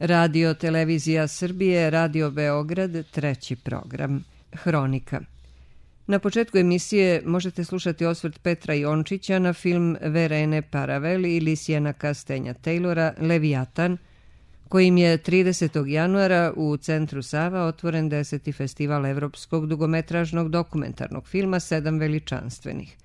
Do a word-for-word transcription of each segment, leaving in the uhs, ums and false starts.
Radio Televizija Srbije, Radio Beograd, treći program. Hronika. Na početku emisije možete slušati osvrt Petra Jončića na film Verene Paravel i Lisijana Kastenja Taylora Leviatan, kojim je tridesetog januara u Centru Sava otvoren deseti festival evropskog dugometražnog dokumentarnog filma Sedam veličanstvenih.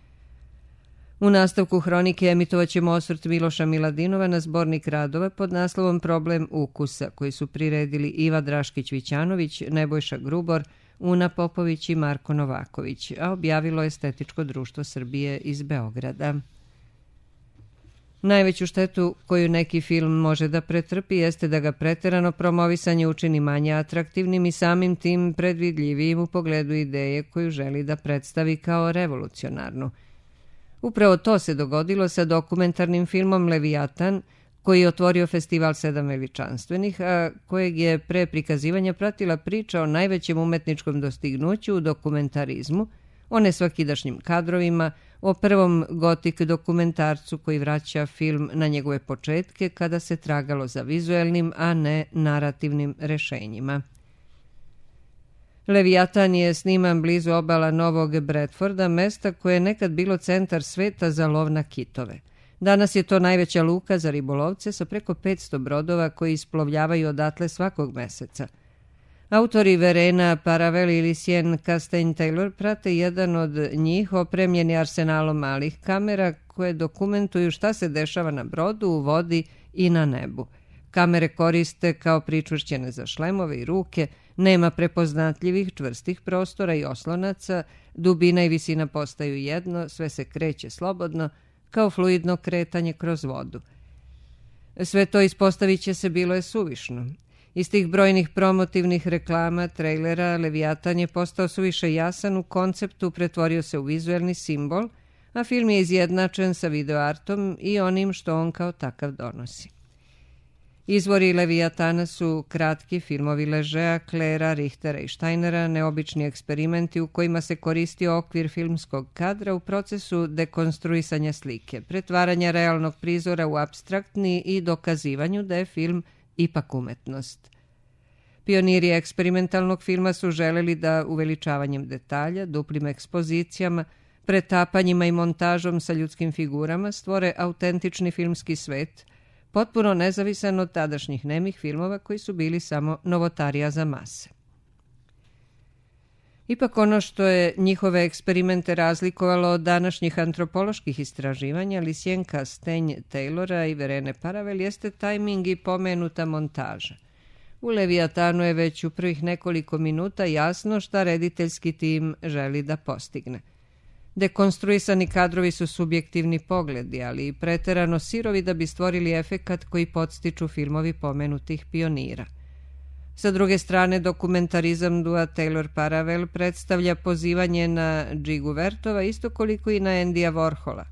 U nastavku hronike emitovaćemo osvrt Miloša Miladinova na zbornik radova pod naslovom Problem ukusa, koji su priredili Iva Draškić-Vićanović, Nebojša Grubor, Una Popović i Marko Novaković, a objavilo Estetičko društvo Srbije iz Beograda. Najveću štetu koju neki film može da pretrpi jeste da ga preterano promovisanje učini manje atraktivnim i samim tim predvidljivijim u pogledu ideje koju želi da predstavi kao revolucionarnu. Upravo to se dogodilo sa dokumentarnim filmom Leviatan, koji je otvorio festival Sedam veličanstvenih, a kojeg je pre prikazivanja pratila priča o najvećem umetničkom dostignuću u dokumentarizmu, o nesvakidašnjim kadrovima, o prvom gotik dokumentarcu koji vraća film na njegove početke kada se tragalo za vizuelnim, a ne narativnim rešenjima. Leviatan je sniman blizu obala Novog Bradforda, mesta koje je nekad bilo centar sveta za lov na kitove. Danas je to najveća luka za ribolovce sa preko petsto brodova koji isplovljavaju odatle svakog meseca. Autori Verena Paravel i Lisien Kastenj Taylor prate jedan od njih opremljeni arsenalom malih kamera koje dokumentuju šta se dešava na brodu, u vodi i na nebu. Kamere koriste kao pričvršćene za šlemove i ruke, nema prepoznatljivih čvrstih prostora i oslonaca, dubina i visina postaju jedno, sve se kreće slobodno, kao fluidno kretanje kroz vodu. Sve to ispostavit će se bilo je suvišno. Iz tih brojnih promotivnih reklama, trejlera, Leviatan je postao suviše jasan u konceptu, pretvorio se u vizuelni simbol, a film je izjednačen sa videoartom i onim što on kao takav donosi. Izvori Leviatana su kratki filmovi Ležea, Klera, Richtera i Steinera, neobični eksperimenti u kojima se koristio okvir filmskog kadra u procesu dekonstruisanja slike, pretvaranja realnog prizora u apstraktni i dokazivanju da je film ipak umetnost. Pioniri eksperimentalnog filma su želeli da uveličavanjem detalja, duplim ekspozicijama, pretapanjima i montažom sa ljudskim figurama stvore autentični filmski svet, potpuno nezavisan od tadašnjih nemih filmova koji su bili samo novotarija za mase. Ipak ono što je njihove eksperimente razlikovalo od današnjih antropoloških istraživanja Lisien Kastenj Taylora i Verene Paravel jeste tajming i pomenuta montaža. U Leviatanu je već u prvih nekoliko minuta jasno šta rediteljski tim želi da postigne. Dekonstruisani kadrovi su subjektivni pogledi, ali i preterano sirovi da bi stvorili efekat koji podstiču filmovi pomenutih pionira. Sa druge strane, dokumentarizam dua Taylor-Paravel predstavlja pozivanje na Džigu Vertova isto koliko i na Endija Warhola.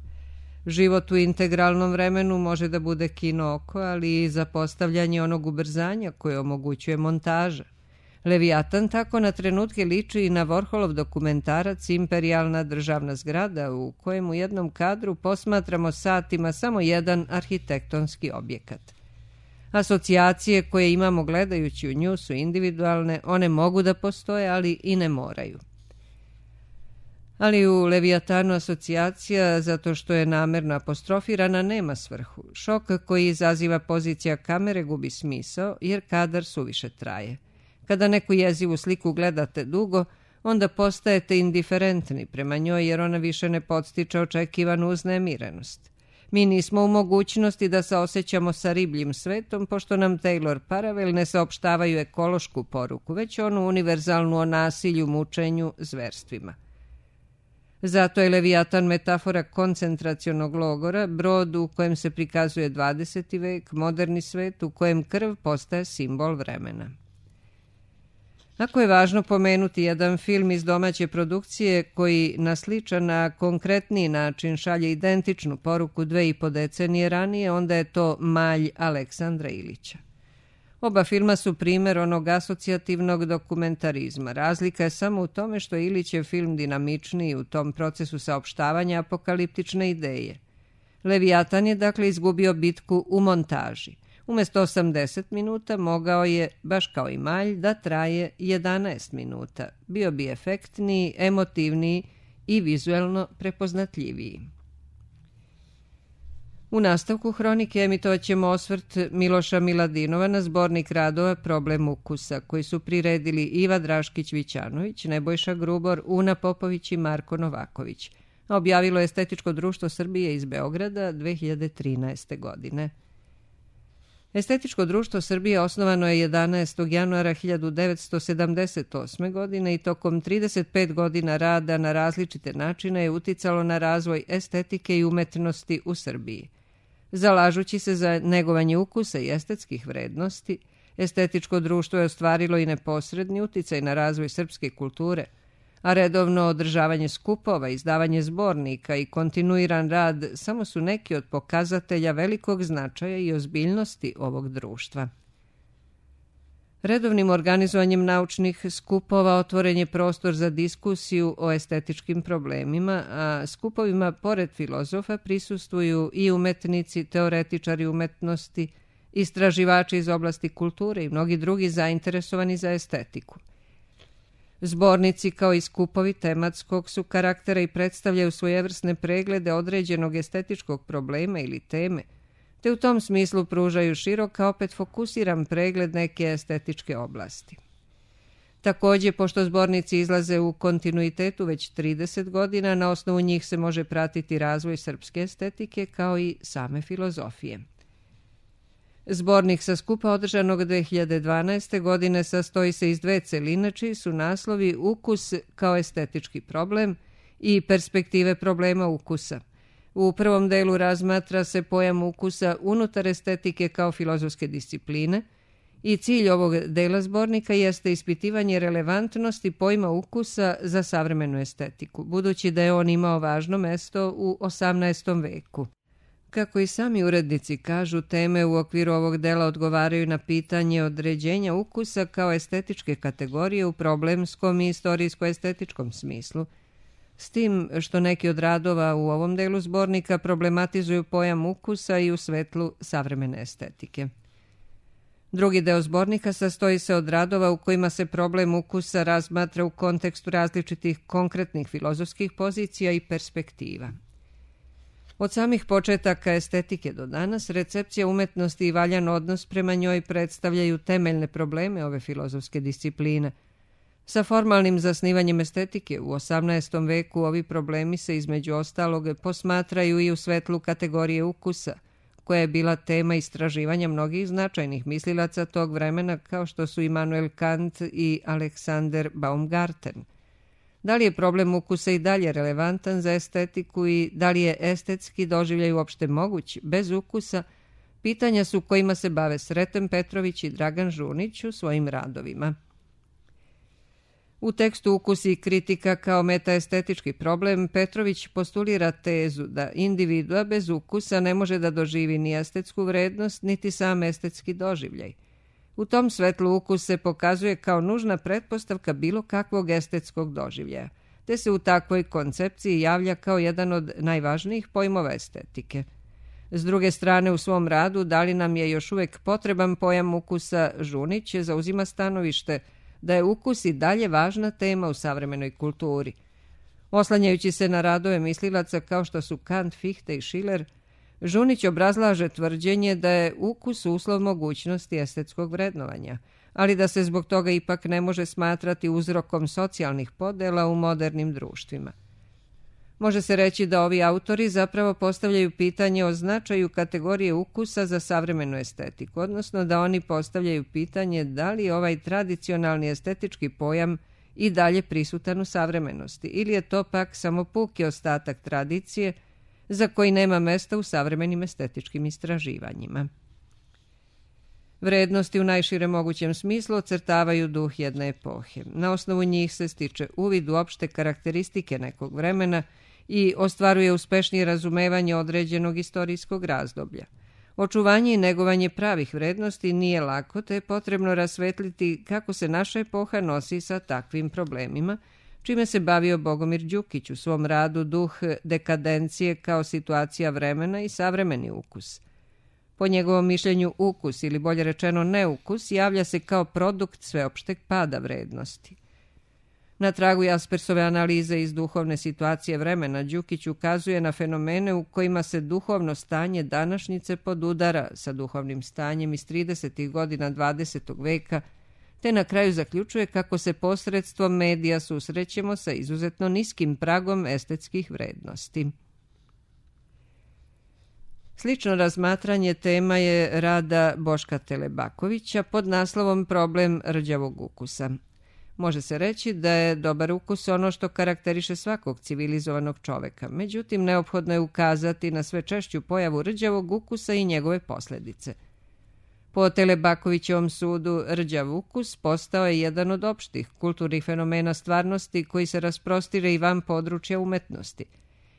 Život u integralnom vremenu može da bude kino oko, ali i zapostavljanje onog ubrzanja koje omogućuje montaža. Leviatan tako na trenutke liči i na Warholov dokumentarac Imperijalna državna zgrada, u kojem u jednom kadru posmatramo satima samo jedan arhitektonski objekat. Asocijacije koje imamo gledajući u nju su individualne, one mogu da postoje, ali i ne moraju. Ali u Leviatanu asocijacija, zato što je namerno apostrofirana, nema svrhu. Šok koji izaziva pozicija kamere gubi smisao, jer kadar suviše traje. Kada neku jezivu sliku gledate dugo, onda postajete indiferentni prema njoj jer ona više ne podstiče očekivanu uznemirenost. Mi nismo u mogućnosti da se osjećamo sa ribljim svetom, pošto nam Taylor-Paravel ne saopštavaju ekološku poruku, već onu univerzalnu o nasilju, mučenju, zverstvima. Zato je Leviatan metafora koncentracionog logora, brod u kojem se prikazuje dvadeseti vek, moderni svet u kojem krv postaje simbol vremena. Ako je važno pomenuti jedan film iz domaće produkcije koji na sličan, a konkretniji način šalje identičnu poruku dve i po decenije ranije, onda je to Malj Aleksandra Ilića. Oba filma su primer onog asocijativnog dokumentarizma. Razlika je samo u tome što je Ilićev film dinamičniji u tom procesu saopštavanja apokaliptične ideje. Leviatan je dakle izgubio bitku u montaži. Umesto osamdeset minuta mogao je, baš kao i Malj, da traje jedanaest minuta. Bio bi efektniji, emotivniji i vizuelno prepoznatljiviji. U nastavku hronike emitovat ćemo osvrt Miloša Miladinova na zbornik radova Problem ukusa, koji su priredili Iva Draškić-Vićanović, Nebojša Grubor, Una Popović i Marko Novaković. Objavilo je Estetičko društvo Srbije iz Beograda dve hiljade trinaeste. godine. Estetičko društvo Srbije osnovano je jedanaestog januara hiljadu devetsto sedamdeset osme. godine i tokom trideset pet godina rada na različite načine je uticalo na razvoj estetike i umetnosti u Srbiji. Zalažući se za negovanje ukusa i estetskih vrednosti, Estetičko društvo je ostvarilo i neposredni uticaj na razvoj srpske kulture, a redovno održavanje skupova, izdavanje zbornika i kontinuiran rad samo su neki od pokazatelja velikog značaja i ozbiljnosti ovog društva. Redovnim organizovanjem naučnih skupova otvoren je prostor za diskusiju o estetičkim problemima, a skupovima pored filozofa prisustvuju i umetnici, teoretičari umetnosti, istraživači iz oblasti kulture i mnogi drugi zainteresovani za estetiku. Zbornici kao i skupovi tematskog su karaktera i predstavljaju svojevrsne preglede određenog estetičkog problema ili teme, te u tom smislu pružaju širok, a opet fokusiran pregled neke estetičke oblasti. Također, pošto zbornici izlaze u kontinuitetu već trideset godina, na osnovu njih se može pratiti razvoj srpske estetike kao i same filozofije. Zbornik sa skupa održanog dve hiljade dvanaeste. godine sastoji se iz dve celine, čiji su naslovi Ukus kao estetički problem i Perspektive problema ukusa. U prvom delu razmatra se pojam ukusa unutar estetike kao filozofske discipline i cilj ovog dela zbornika jeste ispitivanje relevantnosti pojma ukusa za savremenu estetiku, budući da je on imao važno mesto u osamnaestom. veku. Kako i sami urednici kažu, teme u okviru ovog dela odgovaraju na pitanje određenja ukusa kao estetičke kategorije u problemskom i istorijsko-estetičkom smislu, s tim što neki od radova u ovom delu zbornika problematizuju pojam ukusa i u svetlu savremene estetike. Drugi deo zbornika sastoji se od radova u kojima se problem ukusa razmatra u kontekstu različitih konkretnih filozofskih pozicija i perspektiva. Od samih početaka estetike do danas, recepcija umetnosti i valjan odnos prema njoj predstavljaju temeljne probleme ove filozofske discipline. Sa formalnim zasnivanjem estetike u osamnaestom. veku ovi problemi se između ostalog posmatraju i u svetlu kategorije ukusa, koja je bila tema istraživanja mnogih značajnih mislilaca tog vremena kao što su Immanuel Kant i Alexander Baumgarten. Da li je problem ukusa i dalje relevantan za estetiku i da li je estetski doživljaj uopšte moguć bez ukusa, pitanja su kojima se bave Sreten Petrović i Dragan Žunić u svojim radovima. U tekstu Ukus i kritika kao metaestetički problem Petrović postulira tezu da individua bez ukusa ne može da doživi ni estetsku vrednost, niti sam estetski doživljaj. U tom svetlu ukus se pokazuje kao nužna pretpostavka bilo kakvog estetskog doživljaja, te se u takvoj koncepciji javlja kao jedan od najvažnijih pojmova estetike. S druge strane, u svom radu Da li nam je još uvek potreban pojam ukusa, Žunić zauzima stanovište da je ukus i dalje važna tema u savremenoj kulturi. Oslanjajući se na radove mislilaca kao što su Kant, Fichte i Schiller, Žunić obrazlaže tvrđenje da je ukus uslov mogućnosti estetskog vrednovanja, ali da se zbog toga ipak ne može smatrati uzrokom socijalnih podela u modernim društvima. Može se reći da ovi autori zapravo postavljaju pitanje o značaju kategorije ukusa za savremenu estetiku, odnosno da oni postavljaju pitanje da li je ovaj tradicionalni estetički pojam i dalje prisutan u savremenosti, ili je to pak samo puki ostatak tradicije za koji nema mesta u savremenim estetičkim istraživanjima. Vrednosti u najširem mogućem smislu ocrtavaju duh jedne epohe. Na osnovu njih se stiče uvid u opšte karakteristike nekog vremena i ostvaruje uspešnije razumevanje određenog istorijskog razdoblja. Očuvanje i negovanje pravih vrednosti nije lako, te je potrebno rasvetliti kako se naša epoha nosi sa takvim problemima, čime se bavio Bogomir Đukić u svom radu Duh dekadencije kao situacija vremena i savremeni ukus. Po njegovom mišljenju ukus, ili bolje rečeno neukus, javlja se kao produkt sveopšteg pada vrednosti. Na tragu Jaspersove analize iz duhovne situacije vremena, Đukić ukazuje na fenomene u kojima se duhovno stanje današnjice podudara sa duhovnim stanjem iz tridesetih godina dvadesetog veka, te na kraju zaključuje kako se posredstvom medija susrećemo sa izuzetno niskim pragom estetskih vrednosti. Slično razmatranje tema je rada Boška Telebakovića pod naslovom Problem rđavog ukusa. Može se reći da je dobar ukus ono što karakteriše svakog civilizovanog čoveka, međutim neophodno je ukazati na sve češću pojavu rđavog ukusa i njegove posljedice. Po Telebakovićevom sudu, rđav ukus postao je jedan od opštih kulturnih fenomena stvarnosti koji se rasprostire i van područja umetnosti.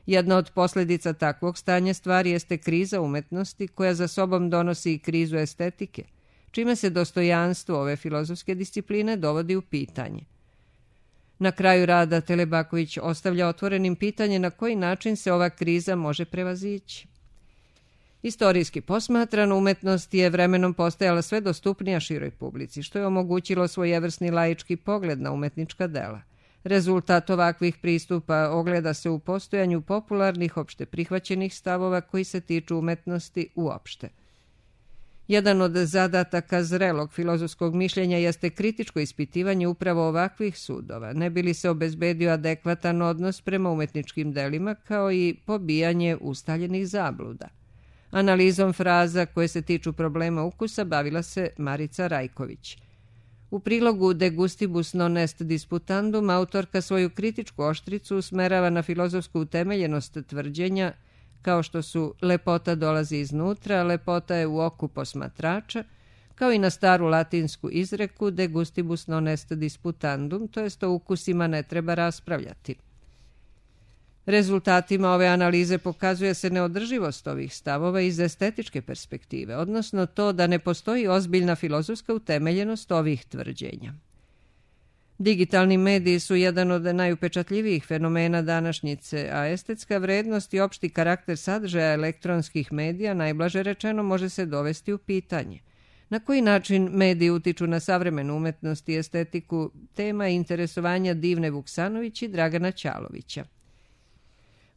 Jedna od posljedica takvog stanja stvari jeste kriza umetnosti koja za sobom donosi i krizu estetike, čime se dostojanstvo ove filozofske discipline dovodi u pitanje. Na kraju rada Telebaković ostavlja otvorenim pitanje na koji način se ova kriza može prevazići. Istorijski posmatrano, umetnost je vremenom postajala sve dostupnija široj publici, što je omogućilo svojevrsni laički pogled na umetnička dela. Rezultat ovakvih pristupa ogleda se u postojanju popularnih, opšte prihvaćenih stavova koji se tiču umetnosti uopšte. Jedan od zadataka zrelog filozofskog mišljenja jeste kritičko ispitivanje upravo ovakvih sudova, ne bi li se obezbedio adekvatan odnos prema umetničkim delima kao i pobijanje ustaljenih zabluda. Analizom fraza koje se tiču problema ukusa bavila se Marica Rajković. U prilogu De gustibus non est disputandum autorka svoju kritičku oštricu usmerava na filozofsku utemeljenost tvrđenja kao što su lepota dolazi iznutra, lepota je u oku posmatrača, kao i na staru latinsku izreku De gustibus non est disputandum, to jest o ukusima ne treba raspravljati. Rezultatima ove analize pokazuje se neodrživost ovih stavova iz estetičke perspektive, odnosno to da ne postoji ozbiljna filozofska utemeljenost ovih tvrđenja. Digitalni mediji su jedan od najupečatljivijih fenomena današnjice, a estetska vrednost i opšti karakter sadržaja elektronskih medija najblaže rečeno može se dovesti u pitanje. Na koji način mediji utiču na savremenu umetnost i estetiku, tema interesovanja Divne Vuksanović i Dragana Ćalovića.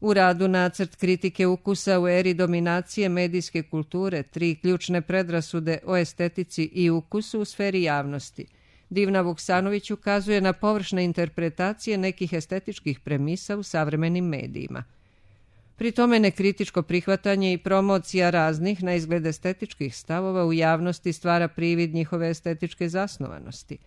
U radu Nacrt kritike ukusa u eri dominacije medijske kulture, tri ključne predrasude o estetici i ukusu u sferi javnosti, Divna Vuksanović ukazuje na površne interpretacije nekih estetičkih premisa u savremenim medijima. Pri tome nekritičko prihvatanje i promocija raznih na izgled estetičkih stavova u javnosti stvara privid njihove estetičke zasnovanosti.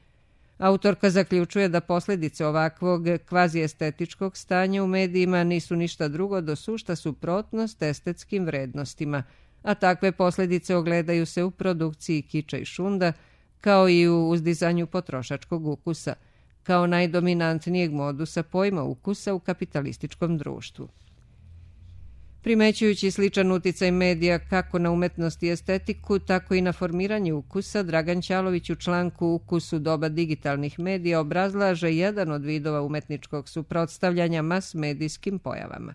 Autorka zaključuje da posljedice ovakvog kvaziestetičkog stanja u medijima nisu ništa drugo do sušta suprotnost estetskim vrednostima, a takve posljedice ogledaju se u produkciji kiča i šunda, kao i u uzdizanju potrošačkog ukusa, kao najdominantnijeg modusa pojma ukusa u kapitalističkom društvu. Primećujući sličan uticaj medija kako na umetnost i estetiku, tako i na formiranje ukusa, Dragan Ćalović u članku Ukus u doba digitalnih medija obrazlaže jedan od vidova umetničkog suprotstavljanja mas-medijskim pojavama.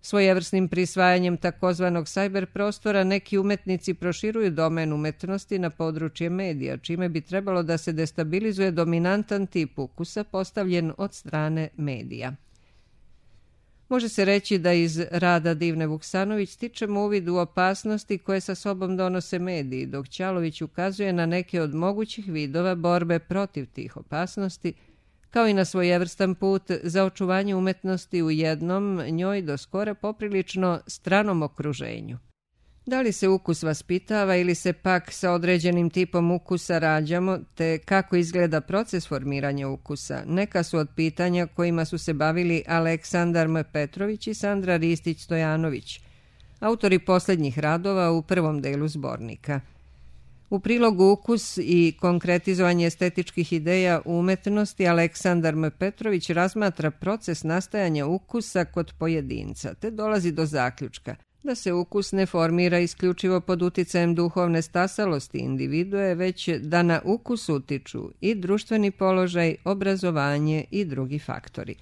Svojevrsnim prisvajanjem takozvanog sajber prostora neki umetnici proširuju domen umetnosti na područje medija, čime bi trebalo da se destabilizuje dominantan tip ukusa postavljen od strane medija. Može se reći da iz rada Divne Vuksanović stičemo uvid u opasnosti koje sa sobom donose mediji, dok Ćalović ukazuje na neke od mogućih vidova borbe protiv tih opasnosti, kao i na svojevrstan put za očuvanje umetnosti u jednom, njoj do skora poprilično stranom okruženju. Da li se ukus vaspitava ili se pak sa određenim tipom ukusa rađamo, te kako izgleda proces formiranja ukusa, neka su od pitanja kojima su se bavili Aleksandar M. Petrović i Sandra Ristić-Stojanović, autori posljednjih radova u prvom delu zbornika. U prilogu Ukus i konkretizovanje estetičkih ideja u umetnosti Aleksandar M. Petrović razmatra proces nastajanja ukusa kod pojedinca, te dolazi do zaključka da se ukus ne formira isključivo pod uticajem duhovne stasalosti individue, već da na ukus utiču i društveni položaj, obrazovanje i drugi faktori.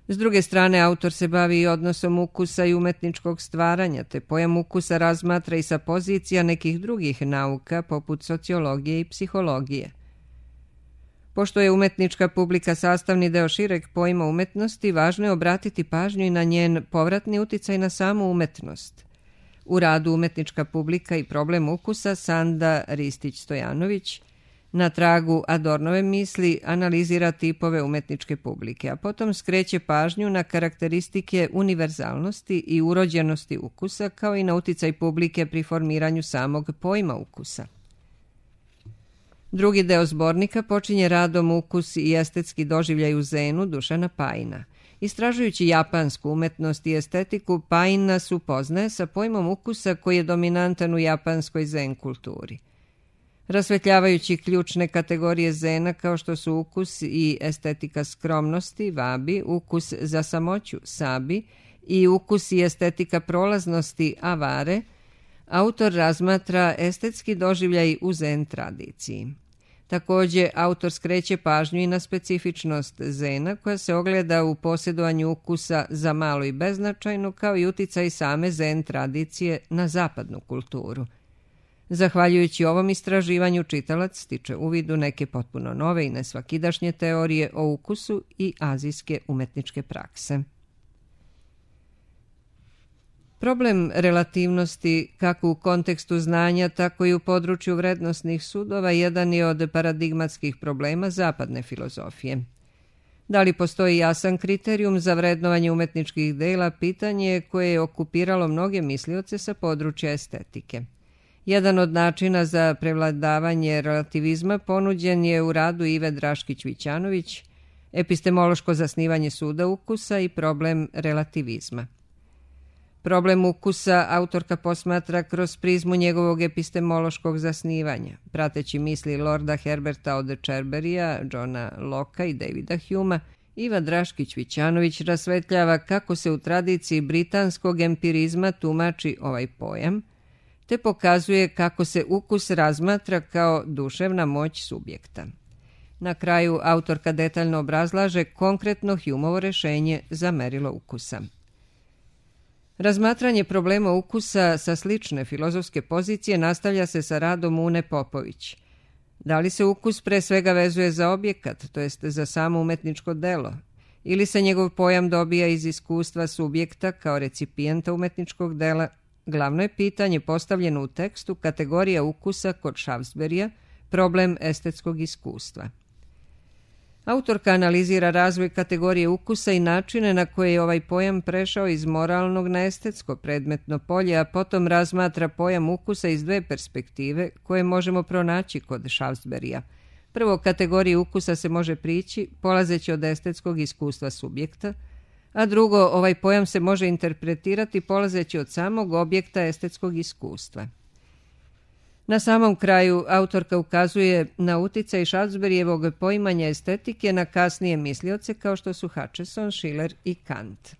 S druge strane, autor se bavi i odnosom ukusa i umetničkog stvaranja, te pojam ukusa razmatra i sa pozicija nekih drugih nauka, poput sociologije i psihologije. Pošto je umetnička publika sastavni deo šireg pojma umetnosti, važno je obratiti pažnju i na njen povratni uticaj na samu umetnost. U radu Umetnička publika i problem ukusa Sanda Ristić-Stojanović na tragu Adornove misli analizira tipove umetničke publike, a potom skreće pažnju na karakteristike univerzalnosti i urođenosti ukusa, kao i na uticaj publike pri formiranju samog pojma ukusa. Drugi deo zbornika počinje radom Ukus i estetski doživljaj u zenu Dušana Pajina. Istražujući japansku umetnost i estetiku, Pajin nas upoznaje sa pojmom ukusa koji je dominantan u japanskoj zen kulturi. Rasvetljavajući ključne kategorije zena kao što su ukus i estetika skromnosti, vabi, ukus za samoću, sabi, i ukus i estetika prolaznosti, avare, autor razmatra estetski doživljaj u zen tradiciji. Također, autor skreće pažnju i na specifičnost zena koja se ogleda u posjedovanju ukusa za malo i beznačajnu, kao i uticaj same zen tradicije na zapadnu kulturu. Zahvaljujući ovom istraživanju, čitalac stiče uvid u neke potpuno nove i nesvakidašnje teorije o ukusu i azijske umetničke prakse. Problem relativnosti, kako u kontekstu znanja, tako i u području vrednosnih sudova, jedan je od paradigmatskih problema zapadne filozofije. Da li postoji jasan kriterijum za vrednovanje umetničkih dela, pitanje je koje je okupiralo mnoge mislioce sa područja estetike. Jedan od načina za prevladavanje relativizma ponuđen je u radu Ive Draškić-Vićanović, Epistemološko zasnivanje suda ukusa i problem relativizma. Problem ukusa autorka posmatra kroz prizmu njegovog epistemološkog zasnivanja, prateći misli Lorda Herberta od Cherburya, Johna Locke i Davida Humea. Iva Draškić-Vićanović rasvetljava kako se u tradiciji britanskog empirizma tumači ovaj pojam, te pokazuje kako se ukus razmatra kao duševna moć subjekta. Na kraju autorka detaljno obrazlaže konkretno Humeovo rešenje za merilo ukusa. Razmatranje problema ukusa sa slične filozofske pozicije nastavlja se sa radom Une Popović. Da li se ukus pre svega vezuje za objekat, to jest za samo umetničko delo, ili se njegov pojam dobija iz iskustva subjekta kao recipijenta umetničkog dela? Glavno je pitanje postavljeno u tekstu Kategorija ukusa kod Šafsberija, problem estetskog iskustva. Autorka analizira razvoj kategorije ukusa i načine na koje je ovaj pojam prešao iz moralnog na estetsko predmetno polje, a potom razmatra pojam ukusa iz dve perspektive koje možemo pronaći kod Šafsberija. Prvo, kategoriji ukusa se može prići polazeći od estetskog iskustva subjekta, a drugo, ovaj pojam se može interpretirati polazeći od samog objekta estetskog iskustva. Na samom kraju autorka ukazuje na uticaj Šafsberijevog poimanja estetike na kasnije mislioce kao što su Hutcheson, Schiller i Kant.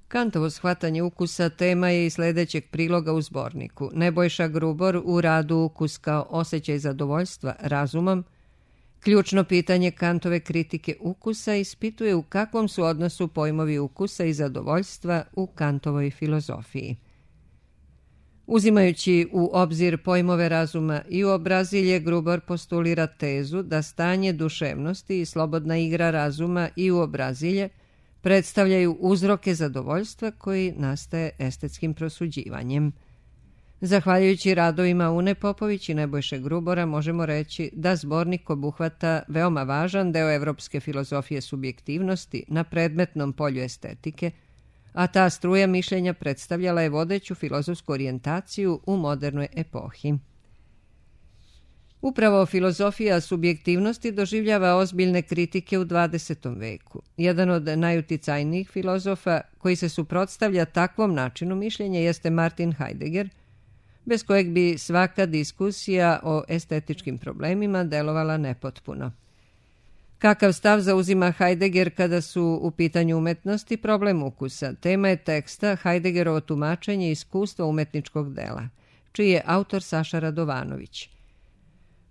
Kantovo shvatanje ukusa tema je i sljedećeg priloga u zborniku. Nebojša Grubor u radu Ukus kao osjećaj zadovoljstva razumom, ključno pitanje Kantove kritike ukusa ispituje u kakvom su odnosu pojmovi ukusa i zadovoljstva u Kantovoj filozofiji. Uzimajući u obzir pojmove razuma i uobrazilje, Grubor postulira tezu da stanje duševnosti i slobodna igra razuma i uobrazilje predstavljaju uzroke zadovoljstva koji nastaje estetskim prosuđivanjem. Zahvaljujući radovima Une Popović i Nebojše Grubora možemo reći da zbornik obuhvata veoma važan deo evropske filozofije subjektivnosti na predmetnom polju estetike, a ta struja mišljenja predstavljala je vodeću filozofsku orijentaciju u modernoj epohi. Upravo filozofija subjektivnosti doživljava ozbiljne kritike u dvadesetom veku. Jedan od najuticajnijih filozofa koji se suprotstavlja takvom načinu mišljenja jeste Martin Heidegger, bez kojeg bi svaka diskusija o estetičkim problemima delovala nepotpuno. Kakav stav zauzima Heidegger kada su u pitanju umetnosti problem ukusa? Tema je teksta Heideggerovo tumačenje iskustva umetničkog dela, čiji je autor Saša Radovanović.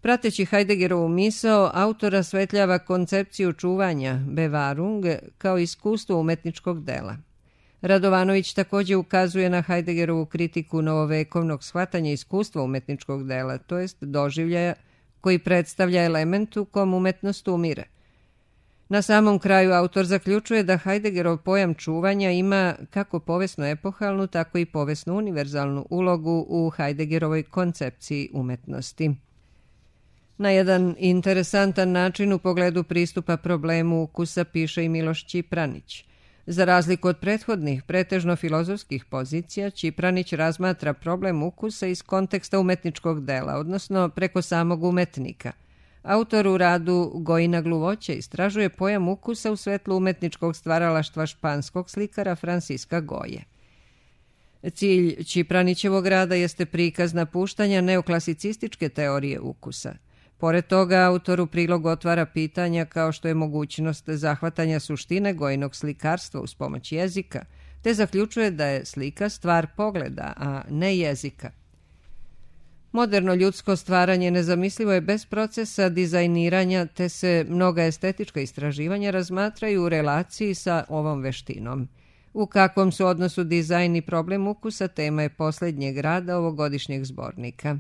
Prateći Heideggerovu misao, autor rasvetljava koncepciju čuvanja, Bewahrung, kao iskustvo umetničkog dela. Radovanović također ukazuje na Heideggerovu kritiku novovekovnog shvatanja iskustva umetničkog dela, to jest doživljaja koji predstavlja element u kom umetnost umire. Na samom kraju autor zaključuje da Heideggerov pojam čuvanja ima kako povesno epohalnu, tako i povesno univerzalnu ulogu u Heideggerovoj koncepciji umetnosti. Na jedan interesantan način u pogledu pristupa problemu ukusa piše i Miloš Čipranić. Za razliku od prethodnih, pretežno filozofskih pozicija, Čipranić razmatra problem ukusa iz konteksta umetničkog dela, odnosno preko samog umetnika. Autor u radu Gojina gluvoće istražuje pojam ukusa u svetlu umetničkog stvaralaštva španskog slikara Franciska Goje. Cilj Čipranićevog rada jeste prikaz napuštanja neoklasicističke teorije ukusa. Pored toga, autor u prilogu otvara pitanja kao što je mogućnost zahvatanja suštine Gojinog slikarstva uz pomoć jezika, te zaključuje da je slika stvar pogleda, a ne jezika. Moderno ljudsko stvaranje nezamislivo je bez procesa dizajniranja, te se mnoga estetička istraživanja razmatraju u relaciji sa ovom veštinom. U kakvom su odnosu dizajn i problem ukusa tema je posljednjeg rada ovogodišnjeg zbornika.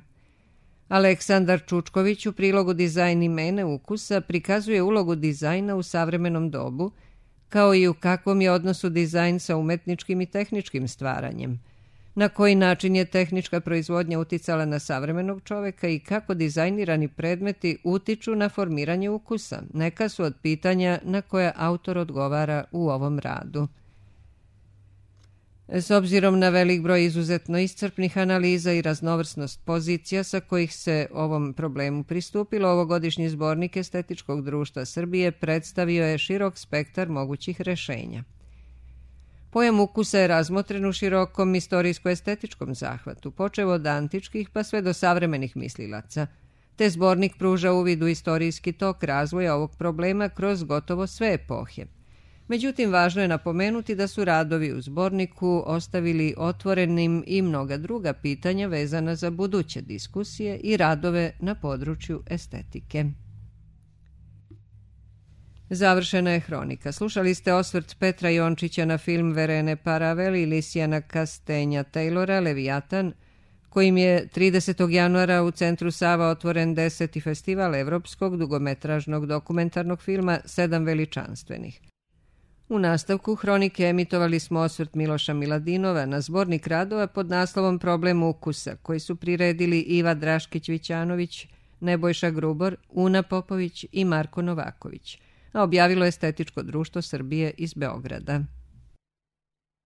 Aleksandar Čučković u prilogu Dizajn i mene ukusa prikazuje ulogu dizajna u savremenom dobu, kao i u kakvom je odnosu dizajn sa umetničkim i tehničkim stvaranjem, na koji način je tehnička proizvodnja uticala na savremenog čoveka i kako dizajnirani predmeti utiču na formiranje ukusa. Neka su od pitanja na koje autor odgovara u ovom radu. S obzirom na velik broj izuzetno iscrpnih analiza i raznovrsnost pozicija sa kojih se ovom problemu pristupilo, ovogodišnji zbornik Estetičkog društva Srbije predstavio je širok spektar mogućih rešenja. Pojam ukusa je razmotren u širokom istorijsko-estetičkom zahvatu, počev od antičkih pa sve do savremenih mislilaca, te zbornik pruža uvid u istorijski tok razvoja ovog problema kroz gotovo sve epohe. Međutim, važno je napomenuti da su radovi u zborniku ostavili otvorenim i mnoga druga pitanja vezana za buduće diskusije i radove na području estetike. Završena je hronika. Slušali ste osvrt Petra Jončića na film Verene Paravel i Lisijana Kastenja Taylora Leviatan, kojim je tridesetog januara u Centru Sava otvoren deseti festival evropskog dugometražnog dokumentarnog filma Sedam veličanstvenih. U nastavku hronike emitovali smo osvrt Miloša Miladinova na zbornik radova pod naslovom Problem ukusa, koji su priredili Iva Draškić-Vićanović, Nebojša Grubor, Una Popović i Marko Novaković, a objavilo Estetičko društvo Srbije iz Beograda.